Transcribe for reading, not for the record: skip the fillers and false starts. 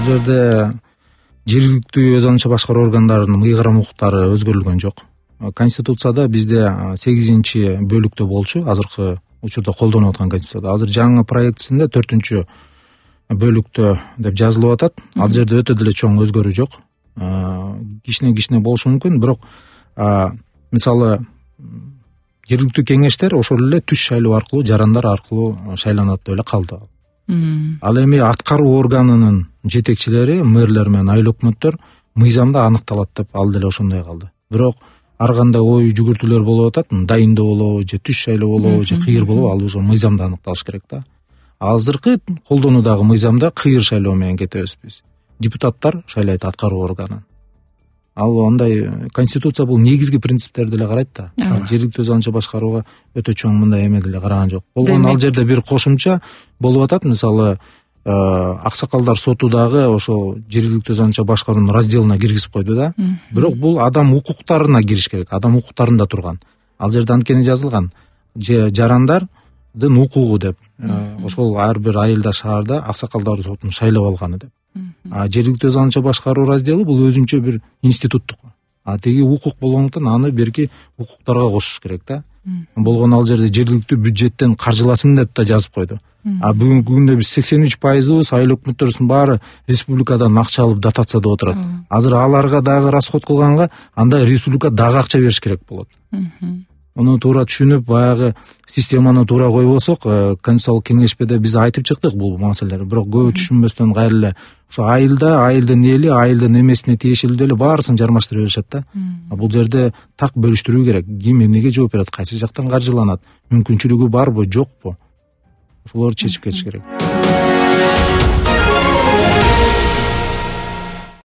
Бул жерде жергиликтүү өз атынча башкаруу органдарынын ыйгарым укуктары өзгөрүлгөн жок. Конституцияда бизде 8-бөлүктө болчу, азыркы учурда колдонуп аткан конституцияда. Азыр жаңы проектисинде 4-бөлүктө деп жазылып атат. Ал жерде өтө деле чоң өзгөрүү жок. Кичине болушу мүмкүн, бирок мисалы жергиликтүү кеңештер ошол эле түз шайлоо аркылуу, жарандар аркылуу шайланат деп эле калды. Ал эми аткаруу органынын жетекчилери, мэрлер менен айыл өкмөттөр мыйзамда аныкталат деп ал деле ошондой калды. Бирок ар кандай ой жүгүртүүлөр болуп атат, дайындоо болобу же түз шайлоо болобу же кыйыр болобу, ал уже мыйзамда аныкталыш керек да. Азыркы колдонуудагы мыйзамда кыйыр шайлоо менен кетебиз биз. Депутаттар шайлайт аткаруу органын. Ал андай конституция бул негизги принциптерди эле карайт да. Жергиликтүү өз атынча башкарууга өтө чоң мындай эме деле караган жок. Болгону ал жерде бир кошумча болуп атат, мисалы аксакалдар соту дагы ошол жергиликтүү өз атынча башкаруунун разделине киргизип койду да. Бирок бул адам укуктарына кириш керек, адам укуктарында турган. Ал жерде анткени жазылган жарандардын укугу деп. Ошол ар бир айылда, шаарда аксакалдар сотун шайлап алганы деп. Жергиликтүү өз атынча башкаруу раздели бул өзүнчө бир институттук. Тиги укук болгондуктан аны берки укуктарга кошуш керек да. Болгону ал жерде жергиликтүү бюджеттен каржыласын деп да жазып койду. Бүгүнкү күндө биз 83% айыл өкмөттөрүбүздүн баары республикадан акча алып дотацияда отурат. Азыр аларга дагы расход кылганга анда республика дагы акча бериш керек болот. Муну туура түшүнүп, баягы системаны туура койбосок, Конституциялык кеңешмеде биз айтып чыктык бул маселелерди. Бирок көбү түшүнбөстөн кайра эле ошо айылдын эли, айылдын эмесине тиешелүү эле баарысын жармаштыра беришет да. Бул жерде так бөлүштүрүү керек. Ким эмнеге жооп берет, кайсы жактан каржыланат, мүмкүнчүлүгү барбы, жокпу? Ошолорду чечип кетиш керек.